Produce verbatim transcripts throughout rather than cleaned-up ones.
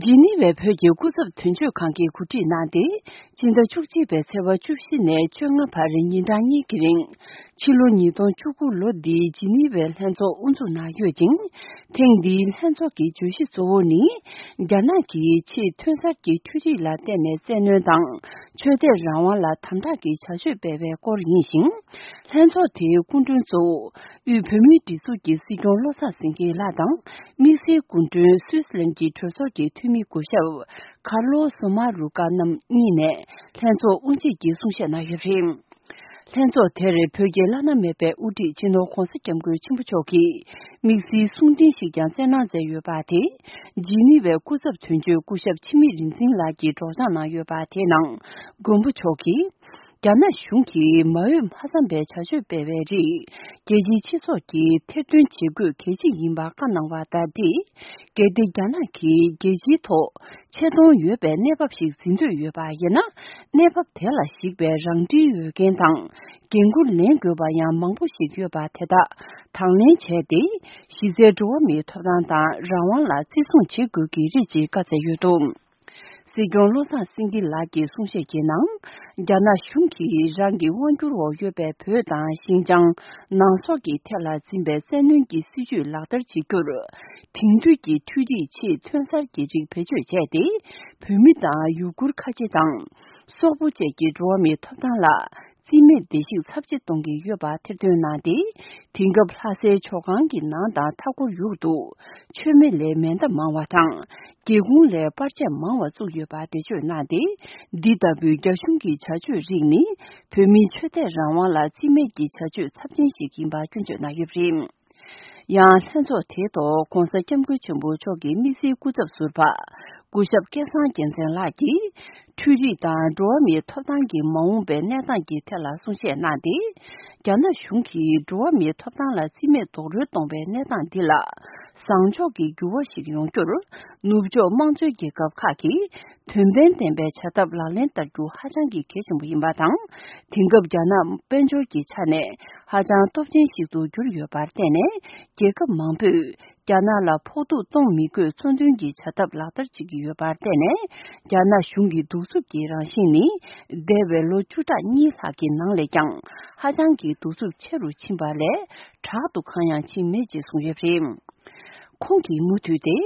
ཇི་ནི་ཝའི་བོད་ཀྱི་སྐུ་ཚབ་དོན་གཅོད་ཁང་གིས་གོ་སྒྲིག་གནང་སྟེ། སྤྱི་ཟླ་བཅུ་གཅིག་པའི་ཚེས་པ་བཅུ་བཞི་ནས་བཅོ་ལྔ་བར་ཉིན་གྲངས་གཉིས་ཀྱི་རིང་། ཕྱི་ལོ་ཉིས་སྟོང་བཅུ་དགུ་ལོ་འདིའི་ཇི་ནི་ཝའི་ལྷན་ཚོགས་དབུ་འཛུགས་གནང་ཡོད་ཅིང་། ཐེངས་འདིའི་ལྷན་ཚོགས་ཀྱི་བརྗོད་གཞི་གཙོ་བོ་ནི། རྒྱ་ནག་གིས་ཆེས་ཐོན་གསར་གྱི་འཕྲུལ་རིག་ལ་བརྟེན་ནས་བཙན་གནོན་དང་། ཆོས་དད་རང་དབང་ལ་དམ་དྲག་གི་བྱ་སྤྱོད་སྤེལ་བའི་སྐོར་ཡིན་ཞིང་། ལྷན་ཚོགས་དེའི་སྐུ་མགྲོན་གཙོ་བོ། དབུས་བོད་མིའི་སྒྲིག་འཛུགས་ཀྱི་སྲིད་སྐྱོང་བློ་བཟང་སེང་གེ་ལགས་དང་། དམིགས་བསལ་སྐུ་མགྲོན་སུད་སི་ལན་གྱི་གྲོས་ཚོགས་ཀྱི་འཐུས་མི་སྐུ་ཞབས་ཁར་ལོ་སོ་མ་རུ་ཀ་རྣམ་གཉིས་ནས་ལྷན་ཚོགས་དབུ་འབྱེད་ཀྱི་གསུང་བཤད་གནང་ཡོད་པ་རེད། ལྷན་ཚོགས་དེར་བོད་ཀྱི་བླ་ན་མེད་པའི་དབུ་ཁྲིད་སྤྱི་ནོར་༧གོང་ས་༧སྐྱབས་མགོན་ཆེན་པོ་མཆོག་གིས་དམིགས་བསལ་གསུང་འཕྲིན་ཞིག་ཀྱང་སྩལ་གནང་མཛད་ཡོད་པ་དེ། ཇི་ནི་ཝའི་སྐུ་ཚབ་དོན་གཅོད་སྐུ་ཞབས་འཆི་མེད་རིག་འཛིན་ལགས་ཀྱིས་སྒྲོག་སྦྱང་གནང་ཡོད་པ་དེའི་ནང་མགོན་པོ་མཆོག་གིས། རྒྱ་ནག་གཞུང་གིས་མ་འོས་མ་འཚམས་པའི་བྱ་སྤྱོད་སྤེལ་བའི་རིགས། རྒྱལ་སྤྱིའི་སྤྱི་ཚོགས་ཀྱིས་ཐེར་འདོན་བྱེད་དགོས་གལ་ཆེ་ཡིན་པ་བཀའ་གནང་བ་དང་འབྲེལ། གལ་ཏེ་རྒྱ་ནག་གིས་རྒྱལ་སྤྱིའི་ཐོག་ཆེ་མཐོང་ཡོད་པའི་གནས་བབ་ཞིག་འཛིན་འདོད་ཡོད་པ་ཡིན་ན། གནས་བབ་དེ་ལ་གཞིགས་པའི་རང་འཁྲིའི་འོས་འགན་དང་། འགན་འཁུར་ལེན་དགོས་པ་ཡང་མང་པོ་ཞིག་ཡོད་པ་དེ་དག་དང་ལེན་བྱས་ཏེ། གཞི་རྩའི་འགྲོ་བ་མིའི་ཐོབ་ཐང་དང་རང་དབང་ལ་བརྩི་སྲུང་བྱེད་དགོས་ཀྱི་རེད་ཅེས་བཀའ་སྩལ་ཡོད་འདུག། སྲིད་སྐྱོང་བློ་བཟང་སེང་གེ་ལགས་ཀྱིས་གསུང་བཤད་ཀྱི་ནང་། རྒྱ་ནག་གཞུང་གིས་རང་གི་དབང་སྒྱུར་འོག་ཡོད་པའི་བོད་དང་ཞིན་ཅང་ནང་སོག་གི་ཐད་ལ་འཛིན་པའི་བཙན་གནོན་གྱི་སྲིད་བྱུས་ལག་བསྟར་བྱེད་རྒྱུར། དེང་དུས་ཀྱི་འཕྲུལ་རིག་ཆེས་ཐོན་གསར་གྱི་རིགས་བེད་སྤྱོད་བྱས་ཏེ། བོད་མི་དང་ཡུ་གུར་ཁ་ཆེ་དང་། སོག་པོ་བཅས་ཀྱི་འགྲོ་བ་མིའི་ཐོབ་ཐང་ལ། རྩིས་མེད་བརྡལ་བཤིག་ཚབས་ཆེ་གཏོང་གི་ཡོད་པ་ཐེར་འདོན་གནང་སྟེ། དེང་སྐབས་ལྷ་སའི་ཇོ་ཁང་གི་ནང་དང་མཐའ་འཁོར་ཡུལ་དུ། མཆོད་མེ་ལས་མེ་མདའ་མང་བ་དང་། སྒེའུ་ཁུང་ལས་པར་ཆས་མང་བ་བཙུགས་ཡོད་པ་འགྲེལ་བརྗོད་གནང་སྟེ། འདི་ལྟ་བུའི་རྒྱ་གཞུང་གི་བྱ་སྤྱོད་རིགས་ནི། བོད་མིའི་ཆོས་དད་རང་དབང་ལ་རྩིས་མེད་ཀྱི་བྱ་སྤྱོད་ཚབས་ཆེན་ཞིག་ཡིན་པ་སྐྱོན་བརྗོད་གནང་ཡོད་པ་རེད། ཡང་ལྷན་ཚོགས་དེའི་ཐོག་༧གོང་ས་༧སྐྱབས་མགོན་ཆེན་པོ་མཆོག་གི་དམིགས་བསལ་སྐུ་ཚབ་ཟུར་པ། སྐུ་ཞབས་སྐལ་བཟང་རྒྱལ་མཚན་ལགས་ཀྱིས། འཕྲུལ་རིག་དང་འགྲོ་བ་མིའི་ཐོབ་ཐང་གི་མ་འོངས་པའི་གནས་སྟངས་ཀྱི་ཐད་ལ་གསུང་བཤད་གནང་སྟེ། རྒྱ་ནག་གཞུང་གིས་འགྲོ་བ་མིའི་ཐོབ་ཐང་ལ་རྩིས་མེད་རྡོག་རོལ་གཏོང་བའི་གནས་སྟངས་འདི་ལ། བཟང་ཕྱོགས་ཀྱི་འགྱུར་བ་ཞིག་ཡོང་རྒྱུར། ནུབ་ཕྱོགས་དམངས་གཙོའི་རྒྱལ་ཁབ་ཁག་གིས། དོན་ཕན་ལྡན་པའི་བྱ་ཐབས་ལག་ལེན་བསྟར་རྒྱུ་ཧ་ཅང་གི་གལ་ཆེན་པོ་ཡིན་པ་དང་། དེང་སྐབས་རྒྱ་ནག་དཔལ་འབྱོར་གྱི་ཆ་ནས་ཧ་ཅང་སྟོབས་ཆེན་ཞིག་ཏུ་གྱུར་ཡོད་པར་བརྟེན་ནས། རྒྱལ་ཁབ་མང་པོས་རྒྱ་ནག་ལ་ཕོག་ཐུག་གཏོང་མི་དགོས་གཙོ་འདོན་གྱི་བྱ་ཐབས་ལག་བསྟར་བྱེད་ཀྱི་ཡོད་པར་བརྟེན་ནས། རྒྱ་ནག་གཞུང་གི་གདུག་རྩུབ་ཀྱི་རང་བཞིན་ནི། འདས་པའི་ལོ་བཅུ་ཕྲག་གཉིས་ལྷག་གི་ནང་ལས་ཀྱང་ཧ་ཅང་གི་གདུག་རྩུབ་ཆེ་རུ་ཕྱིན་པ་ལས་དྲག་ཏུ་གང་ཡང་ཕྱིན་མེད་ཅེས་གསུངས་ཡོད་པ་རེད། ཁོང་གིས་མུ་མཐུད་དེ།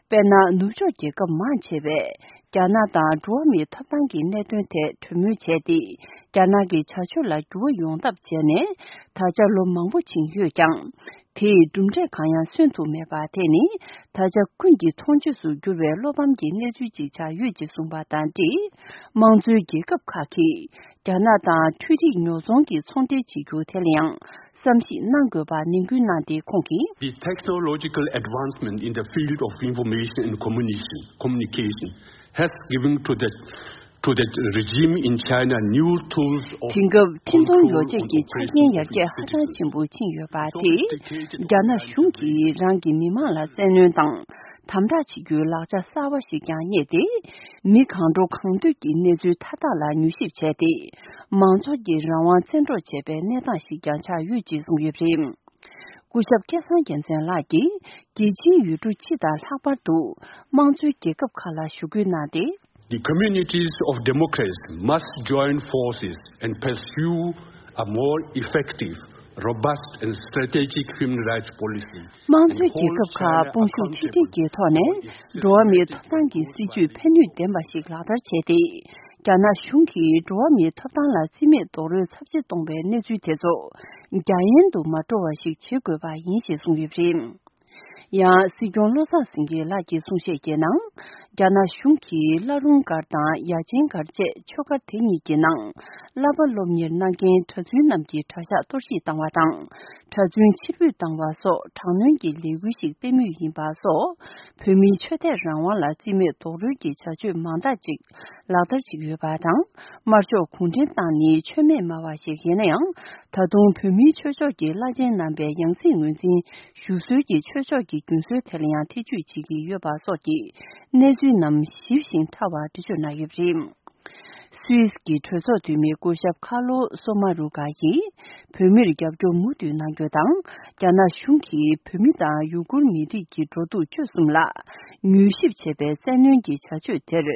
དཔེར་ན། ནུབ་ཕྱོགས་རྒྱལ་ཁབ་མང་ཆེ་བས། རྒྱ་ནག་དང་འགྲོ་བ་མིའི་ཐོབ་ཐང་གི་གནད་དོན་ཐད་གྲོས་མོལ་བྱས་ཏེ། རྒྱ་ནག་གི་བྱ་སྤྱོད་ལ་འགྱུར་བ་ཡོང་ཐབས་བྱས་ནས། ད་ཆ་ལོ་མང་པོ་ཕྱིན་ཡོད་ཀྱང་། དེས་གྲུབ་འབྲས་གང་ཡང་སོན་ཐུབ་མེད་པ་དེ་ནི། ད་ཆ་ཀུན་གྱི་མཐོང་ཆོས་སུ་གྱུར་བའི་བློ་ཕམ་གྱི་གནས་ཚུལ་ཅིག་ཆགས་ཡོད་ཅེས་གསུངས་པ་དང་འབྲེལ། དམངས་གཙོའི་རྒྱལ་ཁབ་ཁག་གིས། རྒྱ་ནག་དང་འཕྲུལ་རིག་ཉོ་ཚོང་གི་ཚོང་འབྲེལ་བྱེད་རྒྱུ་དེ་ལ་ཡང་བསམ་གཞིག་གནང་དགོས་པ་ནན་སྐུལ་གནང་སྟེ། ཁོང་གིས། The technological advancement in the field of information and communication, communication has given to the, to the regime in China new tools of དེང་སྐབས་འཕྲིན་གཏོང་control ཡོ་བྱད་on ཀྱི་ཆ་རྐྱེན་operation ཡར་རྒྱས་ཧ་ཅང་ཆེན་པོ་ཕྱིན་ཡོད་པ་དེས། རྒྱ་ནག་གཞུང་གིས་རང་གི་མི་དམངས་ལ་བཙན་གནོན་དང་དམ་དྲག་བྱེད་རྒྱུའི་ལག་ཆ་གསར་བ་ཞིག་ཀྱང་རྙེད་དེ། མི་གང་འགྲོ་གང་འདོད་ཀྱི་གནས་ཚུལ་མཐའ་དག་ལ་མྱུལ་ཞིབ་བྱས་ཏེ། མང་ཚོགས་ཀྱི་རང་དབང་བཙན་འཕྲོག་བྱས་པའི་གནས་སྟངས་ཤིག་ཀྱང་ཆགས་ཡོད་ཅེས་གསུངས་ཡོད་པ་རེད། སྐུ་ཞབས་སྐལ་བཟང་རྒྱལ་མཚན་ལགས་ཀྱིས། རྒྱལ་སྤྱིའི་ཡུལ་གྲུ་སྤྱི་དང་ལྷག་པར་དུ། དམངས་གཙོའི་རྒྱལ་ཁབ་ཁག་ལ་ཞུ་སྐུལ་གནང་སྟེ། The communities of democracy must join forces and pursue a more effective, robust and strategic human rights policy. དམངས་གཙོའི་རྒྱལ་ཁབ་ཁག་དཔུང་ཤུགས་ཆིག་སྒྲིལ་གྱི་ཐོག་ནས། འགྲོ་བ་མིའི་ཐོབ་ཐང་གི་སྲིད་ཇུས་ཕན་ནུས་ལྡན་པ་ཞིག་ལག་བསྟར་བྱས་ཏེ། རྒྱ་ནག་གཞུང་གིས་འགྲོ་བ་མིའི་ཐོབ་ཐང་ལ་རྩིས་མེད་རྡོག་རོལ་ཚབས་ཆེ་གཏོང་བའི་གནས་ཚུལ་དེ་ཚོ། རྒྱ་ཡན་དུ་མ་འགྲོ་བ་ཞིག་བྱེད་དགོས་པ་ཡིན་ཞེས་གསུངས་ཡོད་པ་རེད། ཡང་། སྲིད་སྐྱོང་བློ་བཟང་སེང་གེ་ལགས་ཀྱིས་གསུང་བཤད་ཀྱི་ནང་། རྒྱ་ནག་གཞུང་གིས་བླ་རུང་སྒར་དང་ཡ་ཆེན་སྒར་བཅས་ཆོས་སྒར་དེ་གཉིས་ཀྱི་ནང་། བསླབ་པ་སློབ་གཉེར་གནང་མཁན་གྲྭ་བཙུན་རྣམས་ཀྱི་གྲྭ་ཤག་གཏོར་བཤིག་བཏང་བ་དང་། གྲྭ་བཙུན་ཕྱིར་འབུད་བཏང་བ་སོགས་དྲག་གནོན་གྱི་ལས་འགུལ་ཞིག་སྤེལ་མུས་ཡིན་པ་སོགས། བོད་མིའི་ཆོས་དད་རང་དབང་ལ་རྩིས་མེད་རྡོག་རོལ་གྱི་བྱ་སྤྱོད་མང་དག་ཅིག་ལག་བསྟར་བྱེད་ཀྱི་ཡོད་པ་དང་། དམར་ཤོག་གུང་ཁྲན་ཏང་ནི་ཆོས་མེད་སྨྲ་བ་ཞིག་ཡིན་ན་ཡང་། ད་དུང་བོད་མིའི་ཆོས་ཕྱོགས་ཀྱི་བླ་ཆེན་རྣམ་པའི་ཡང་སྲིད་ངོས་འཛིན་ཞུ་སྲོལ་གྱི་ཆོས་ཕྱོགས་ཀྱི་རྒྱུན་སྲོལ་དེ་ལ་ཡང་ཐེ་བྱུས་བྱེད་ཀྱི་ཡོད་པ་སོགས་ཀྱི་གནས་ཚུལ་རྣམས་ཞིབ་ཞིང་ཕྲ་བ་འགྲེལ་བརྗོད་གནང་ཡོད་པ་རེད། སུད་སི་གི་གྲོས་ཚོགས་འཐུས་མི་སྐུ་ཞབས་ཁ་ལོ་སོ་མ་རུ་ག་ཡིས། བོད་མིར་རྒྱབ་སྐྱོར་མུ་མཐུད་གནང་རྒྱུ་དང་། རྒྱ་ནག་གཞུང་གིས་བོད་མི་དང་ཡུ་གུར་མི་རིགས་ཀྱི་འགྲོ་འདུག་སྤྱོད་གསུམ་ལ་མྱུལ་ཞིབ་བྱེད་པའི་བཙན་གནོན་གྱི་བྱ་སྤྱོད་དེར།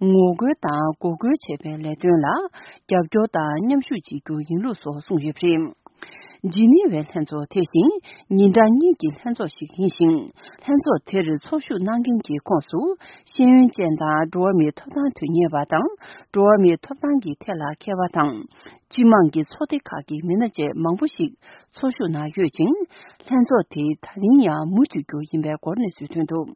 ངོ་རྒོལ་དང་འགོག་རྒོལ་བྱེད་པའི་ལས་དོན་ལ་རྒྱབ་སྐྱོར་དང་མཉམ་ཞུགས་བྱེད་རྒྱུ་ཡིན་ལུགས་སོགས་གསུངས་ཡོད་པ་རེད། ཇི་ནི་ཝའི་ལྷན་ཚོགས་དེ་བཞིན་ཉིན་གྲངས་གཉིས་ཀྱི་ལྷན་ཚོགས་ཤིག་ཡིན་ཞིང་། ལྷན་ཚོགས་དེར་ཚོགས་ཞུགས་གནང་མཁན་གྱི་ཁོངས་སུ་ཤེས་ཡོན་ཅན་དང་འགྲོ་བ་མིའི་ཐོབ་ཐང་དོན་གཉེར་བ་དང་འགྲོ་བ་མིའི་ཐོབ་ཐང་གི་ཐད་ལ་མཁས་པ་དང་། སྤྱི་དམངས་ཀྱི་ཚོགས་སྡེ་ཁག་གི་མི་སྣ་བཅས་མང་པོ་ཞིག་ཚོགས་ཞུགས་གནང་ཡོད་ཅིང་། ལྷན་ཚོགས་དེ་ད་རིང་ཡང་མུ་མཐུད་རྒྱུ་ཡིན་པའི་སྐོར་གནས་ཚུལ་ཐོན་འདུག།